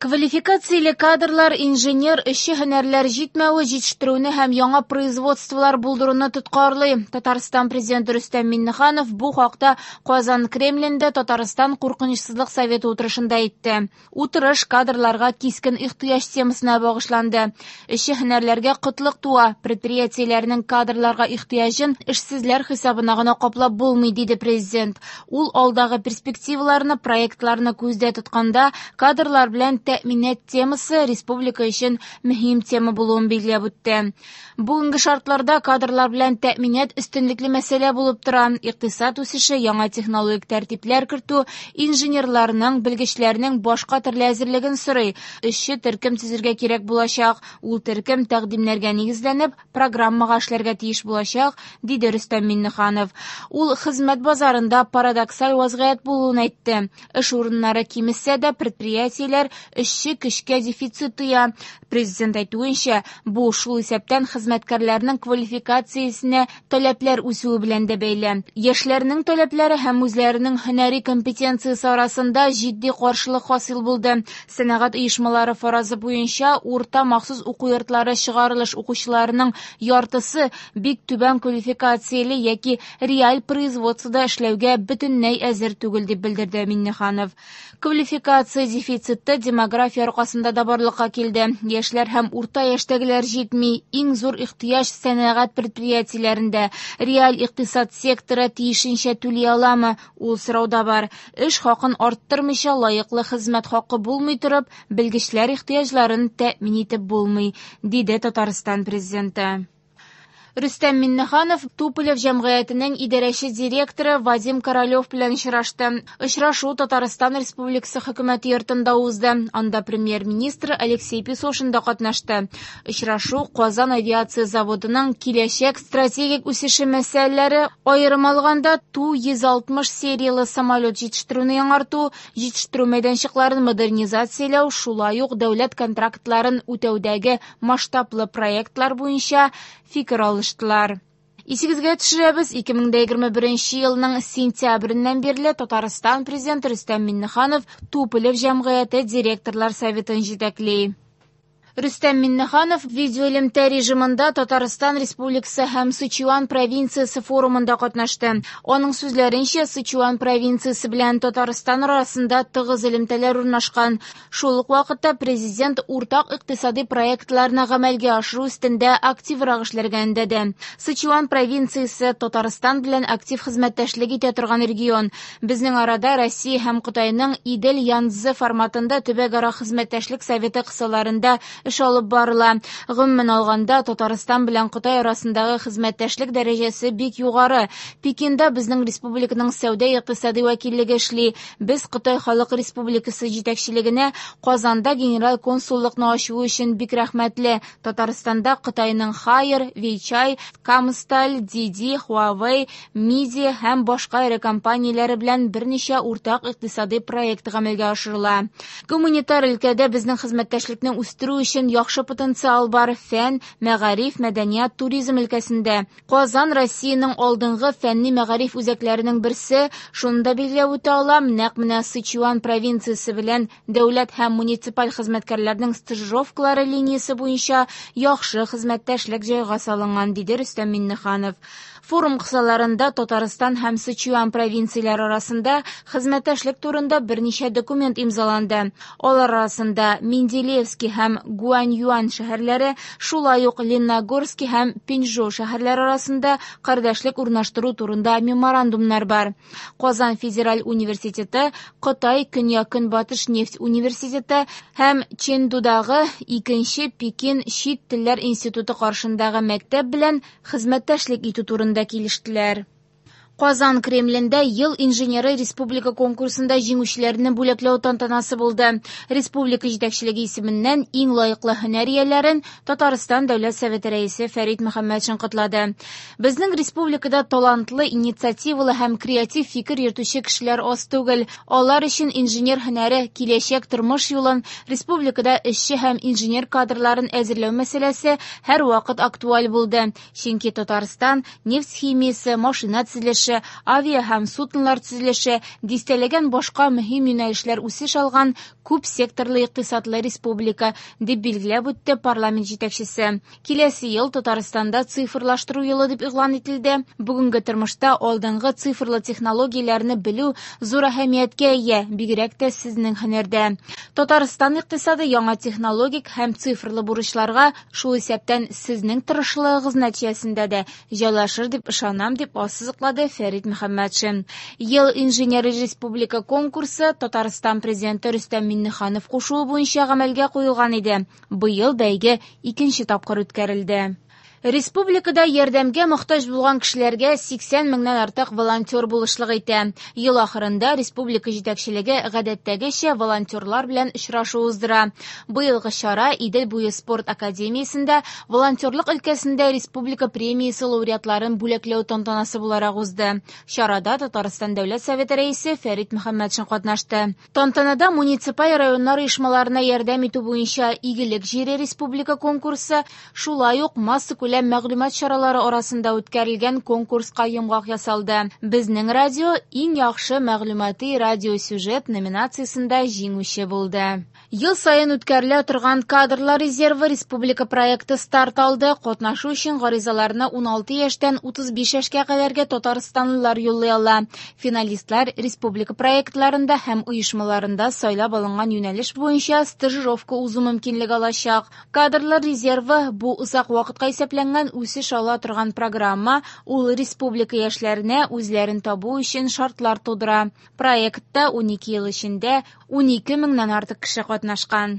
Квалификацияле кадрлар, инженер, эшче һөнәрләр җитмәве җитештерүне һәм яңа производстволар булдыруны тоткарлый. Татарстан Президенты Рөстәм Миңнеханов бу хакта Казан Кремлендә Татарстан Куркынычсызлык советы утырышында әйтте. Утырыш кадрларга кискен ихтыяҗ темасына багышланды. Эшче һөнәрләргә кытлык туа, предприятиеләрнең кадрларга ихтыяҗын эшсезләр хисабына гына каплап булмый, диде Президент. Ул алдагы перспективаларны, проектларны күздә тотканда, кадрлар белән тәэминат темасы республика өчен мөһим тема булуын билгеләп үтте. Бүгенге шартларда кадрлар белән тәэминат өстенлекле мәсьәлә булып тора. Икътисад үсеше, яңа технологик тәртипләр кертү, инженерларның, белгечләрнең башка төрле әзерлеген сорый. Эшче төркем төзергә кирәк булачак. Ул төркем тәкъдимнәргә нигезләнеп, программага эшләргә тиеш булачак, диде Рөстәм Миңнеханов. Ул хезмәт базарында парадоксаль вазгыять булуын әйтте. Эш урыннары кимесә дә, предприятиеләр эшче көчкә дефицит тоя. Президент әйтүенчә, бу шул исәптән хезмәткәрләрнең квалификациясенә таләпләр үсүе белән дә бәйле. Яшьләрнең таләпләре һәм үзләренең һөнәри компетенциясе арасында җитди каршылык хасил булды. Сәнәгать оешмалары фаразы буенча, урта махсус уку йортлары чыгарылыш укучыларының яртысы бик түбән квалификацияле яки реаль производствода эшләүгә бөтенләй әзер түгел, дип белдерде Миңнеханов. Квалификация дефициты демография аркасында да барлыкка килде. Яшьләр һәм урта яшьтәгеләр җитми. Иң зур ихтыяҗ сәнәгать предприятиеләрендә. Реаль икътисад секторы тиешенчә түли аламы? Ул сорау да бар. Эш хакын арттырмыйча, лаеклы хезмәт хакы булмый торып, белгечләр ихтыяҗларын тәэмин итеп булмый, диде Татарстан Президенты. Рөстәм Миңнеханов Туполев җәмгыятенең идарәче директоры Вадим Королев белән очрашты. Очрашу Татарстан Республикасы Хөкүмәте йортында узды. Анда премьер-министр Алексей Песошин да катнашты. Очрашу Казан авиация заводының киләчәк стратегик үсеше мәсьәләләре, аерым алганда Ту-160 серияле самолет җитештерүне яңарту, җитештерү мәйданчыкларын модернизацияләү, шулай ук дәүләт контрактларын үтәүдәге масштаблы проектлар буенча фикер алыштылар. Исегезгә төшерәбез, 2021 елның сентябреннән бирле Татарстан Президенты Рөстәм Миңнеханов Туполев җәмгыяте директорлар советын җитәкли. Рөстәм Миңнеханов видеоэлемтә режимында Татарстан Республикасы һәм Сычуан провинциясе форумында катнашты. Аның сүзләренчә, Сычуан провинциясе белән Татарстан арасында тыгыз элемтәләр урнашкан. Шул ук вакытта президент уртак икътисади проектларны гамәлгә ашыру өстендә активрак эшләргә өндәде. Сычуан провинциясе Татарстан белән актив хезмәттәшлек итә торган регион. Безнең арада Россия һәм Кытайның Идел-Янцзы форматында төбәкара хезмәттәшлек советы кысаларында эш алып барыла. Гомумән алганда, Татарстан белән Кытай арасындагы хезмәттәшлек дәрәҗәсе бик югары. Пекинда безнең республиканың сәүдә-икътисади вәкиллеге эшли. Без Кытай Халык Республикасы җитәкчелегенә Казанда генераль консуллыкны ачуы өчен бик рәхмәтле. Татарстанда Кытайның Haier, Weichai, Камсталь, Didi, Huawei, Midea һәм башка эре компанияләре белән берничә уртак икътисади проект гамәлгә ашырыла. Гуманитар өлкәдә безнең хезмәттәшлекне үстерү өчен яхшы потенциал бар. Фән, мәгариф, мәдәният, туризм өлкәсендә. Казан Россиянең алдынгы фәнни мәгариф үзәкләренең берсе. Шуны да билгеләп үтә алам, нәкъ менә Сычуан провинциясе белән дәүләт һәм муниципаль хезмәткәрләрнең стажировкалары линиясе буенча яхшы хезмәттәшлек җайга салынган, диде Рөстәм Миңнеханов. Форум кысаларында Татарстан һәм Сычуан провинцияләре арасында хезмәттәшлек турында берничә документ имзаланды. Алар арасында Менделеевский һәм Гуаньюань шәһәрләре, шулай ук Лениногорский һәм Пинчжоу шәһәрләре арасында кардәшлек урнаштыру турында меморандумнар бар. Казан федераль университеты, Кытай Көньяк-Көнбатыш нефть университеты һәм Чэндудагы икенче Пекин чит телләр институты каршындагы мәктәп белән хезмәттәшлек итү турында килештеләр. Казан Кремлендә Ел инженеры республика конкурсында җиңүчеләрне бүләкләү тантанасы булды. Республика җитәкчелеге исеменнән иң лаеклы һөнәр ияләрен Татарстан Дәүләт Советы рәисе Фәрит Мөхәммәтшин котлады. Безнең республикада талантлы, инициативалы һәм креатив фикер йөртүче кешеләр аз түгел. Алар өчен инженер һөнәре киләчәк тормыш юлын, республикада эшче һәм инженер кадрларын әзерләү мәсьәләсе һәрвакыт актуаль булды. Чөнки Татарстан нефть химиясе, машина төзелеше, төзелеше, авиа һәм суднолар төзелеше, дистәләгән башка мөһим юнәлешләр үсеш алган күп секторлы икътисадлы республика, дип билгеләп үтте парламент җитәкчесе. Киләсе ел Татарстанда цифрлаштыру елы дип игълан ителде. Бүгенге тормышта алдынгы цифрлы технологияләрне белү зур әһәмияткә ия, бигрәк тә сезнең һөнәрдә. Татарстан икътисады яңа технологик һәм цифрлы бурычларга, шул исәптән сезнең тырышлыгыгыз нәтиҗәсендә дә җайлашыр дип ышанам, дип ассызыклады Фәрит Мөхәммәтшин. Ел инженеры республика конкурсы Татарстан Президенты Рөстәм Миңнеханов кушуы буенча гамәлгә куелган иде. Быел бәйге икенче тапкыр үткәрелде. Республикада ярдәмгә мохтаҗ булган кешеләргә 80 меңнән артык волонтер булышлык итә. Ел ахырында республика җитәкчелеге гадәттәгечә волонтерлар белән очрашу уздыра. Быелгы чара Идел буе спорт академиясендә волонтерлык өлкәсендә республика премиясе лауреатларын бүләкләү тантанасы буларак узды. Чарада Татарстан Дәүләт Советы Рәисе Фәрит Мөхәммәтшин катнашты. Тантанада муниципаль районнар оешмаларына ярдәм итү буенча Игелек җире республика конкурсы, шулай ук массакүләм мәгълүмат чаралары арасында үткәрелгән конкурска йомгак ясалды. Безнең радио иң яхшы мәгълүмати радиосюжет номинациясендә җиңүче булды. Ел саен үткәрелә торган Кадрлар резервы республика проекты старт алды. Катнашу өчен гаризаларны 16 яшьтән 35 яшькә кадәрге татарстанлылар юллый ала. Финалистлар республика проектларында һәм оешмаларында сайлап алынган юнәлеш буенча стажировка узу мөмкинлеге алачак. Кадрлар резервы бу озак вакытка исәпләнгән үсеш ала торган программа, ул республика яшьләренә үзләрен табу өчен шартлар тудыра. Проектта 12 ел эчендә 12 меңнән артык кеше катнашкан.